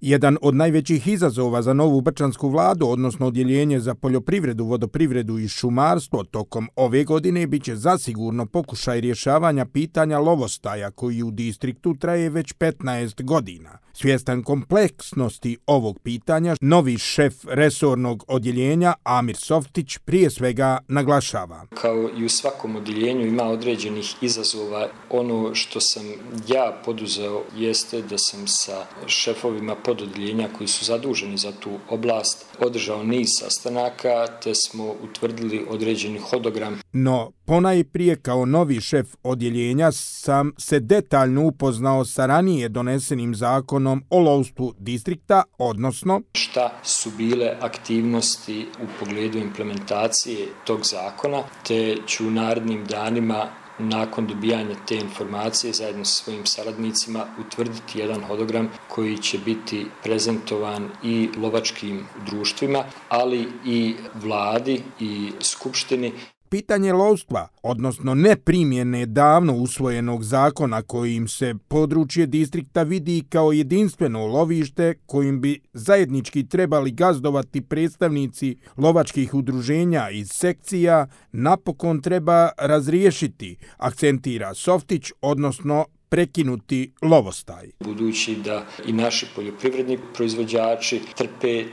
Jedan od najvećih izazova za novu brčansku vladu, odnosno odjeljenje za poljoprivredu, vodoprivredu i šumarstvo, tokom ove godine biće zasigurno pokušaj rješavanja pitanja lovostaja koji u distriktu traje već 15 godina. Svjestan kompleksnosti ovog pitanja, novi šef resornog odjeljenja Amir Softić prije svega naglašava. Kao i u svakom odjeljenju ima određenih izazova. Ono što sam ja poduzeo jeste da sam sa šefovima pododjeljenja koji su zaduženi za tu oblast održao niz sastanaka te smo utvrdili određeni hodogram. No, ponajprije kao novi šef odjeljenja sam se detaljno upoznao sa ranije donesenim zakonom o lovstvu distrikta, odnosno šta su bile aktivnosti u pogledu implementacije tog zakona, te ću u narednim danima nakon dobijanja te informacije zajedno sa svojim saradnicima utvrditi jedan hodogram koji će biti prezentovan i lovačkim društvima, ali i vladi i skupštini. Pitanje lovstva, odnosno neprimjene davno usvojenog zakona kojim se područje distrikta vidi kao jedinstveno lovište kojim bi zajednički trebali gazdovati predstavnici lovačkih udruženja i sekcija, napokon treba razriješiti, akcentira Softić, odnosno prekinuti lovostaj. Budući da i naši poljoprivredni proizvođači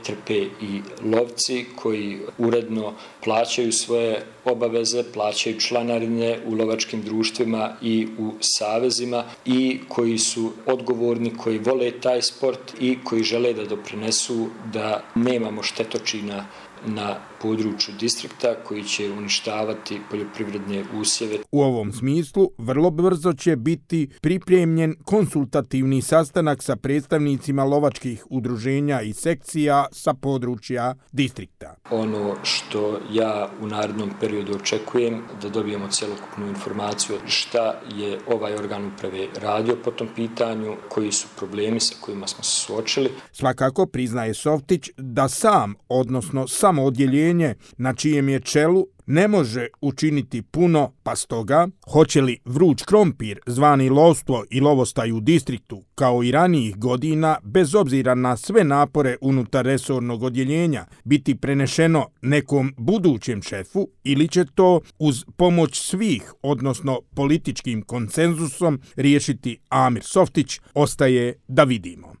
trpe i lovci koji uredno plaćaju svoje obaveze, plaćaju članarine u lovačkim društvima i u savezima i koji su odgovorni, koji vole taj sport i koji žele da doprinesu da nemamo štetočina na području distrikta koji će uništavati poljoprivredne usjeve. U ovom smislu vrlo brzo će biti pripremljen konsultativni sastanak sa predstavnicima lovačkih udruženja i sekcija sa područja distrikta. Ono što ja u narednom periodu očekujem da dobijemo cjelokupnu informaciju šta je ovaj organ uprave radio po tom pitanju, koji su problemi sa kojima smo se suočili. Svakako priznaje Softić da sam, odnosno samo odjeljenje na čijem je čelu ne može učiniti puno, pa stoga, hoće li vruć krompir, zvani lovstvo i lovostaj u distriktu, kao i ranijih godina, bez obzira na sve napore unutar resornog odjeljenja, biti prenešeno nekom budućem šefu ili će to uz pomoć svih, odnosno političkim konsenzusom, riješiti Amir Softić, ostaje da vidimo.